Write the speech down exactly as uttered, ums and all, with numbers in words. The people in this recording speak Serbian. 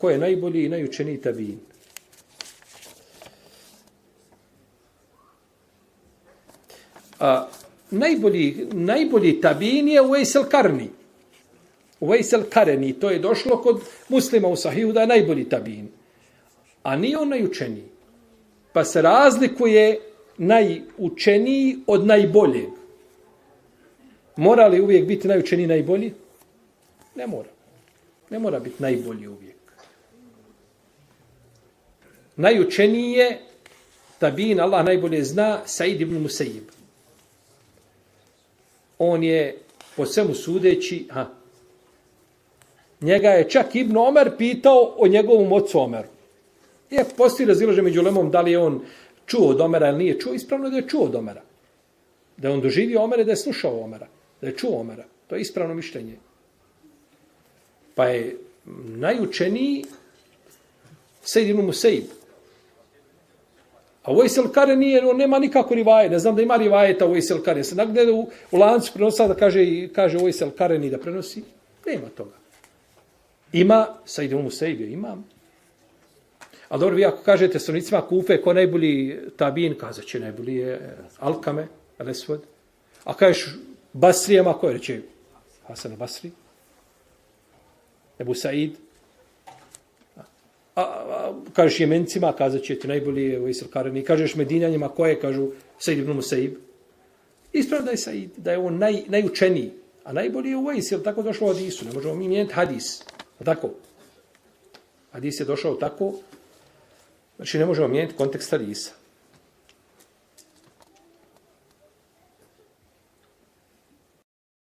ko je najbolji i najučeniji tabiin. A, najbolji, najbolji tabiin je Uvejs el-Karni. Uvejs el-Karni, to je došlo kod Muslima u Sahihu da je najbolji tabiin. A nije on najučeniji. Pa se razlikuje najučeniji od najboljeg. Mora li uvijek biti najučeniji najbolji? Ne mora. Ne mora biti najbolji uvijek. Najučeniji je tabiin, Allah najbolje zna, Said ibn Musayyib. On je po svemu sudeći, ha, njega je čak Ibn Omer pitao o njegovom ocu Omeru. Je, postoji razilaženje među ulemom da li je on čuo od Omera ili nije čuo, ispravno je da je čuo od Omera. Da je on doživio Omera, da je slušao Omera, da je čuo Omera. To je ispravno mišljenje. Pa je najučeniji Said ibn Musayyib. A Uvejs el-Karni on nema nikako rivaje. Ne znam da ima rivajeta Uvejs el-Karni. Se nagde u, u lancu prenosa da kaže, kaže Uvejs el-Karni da prenosi. Nema toga. Ima, Said ibn Musayyib imam. Ali dobro, vi ako kažete stanovnicima Kufe ko najbolji tabiin, kazat će najbolji je Alkame, Al-Esved. A kažeš Basrijama, ko je reće Hasan Basri? Ebu Said. A, a kažeš Jemencima, kazat će ti najbolji je Uvejs el-Karni. Kažeš Medinjanima, ko je, kažu Said ibn Musayyib. Ispravno da je Said, da je on naj, najučeniji. A najbolji je Uvejs, jer tako došlo u hadisu. Ne možemo mi mijeniti hadis. A tako. Hadis je došao tako. Znači ne možemo mijeniti kontekst hadisa.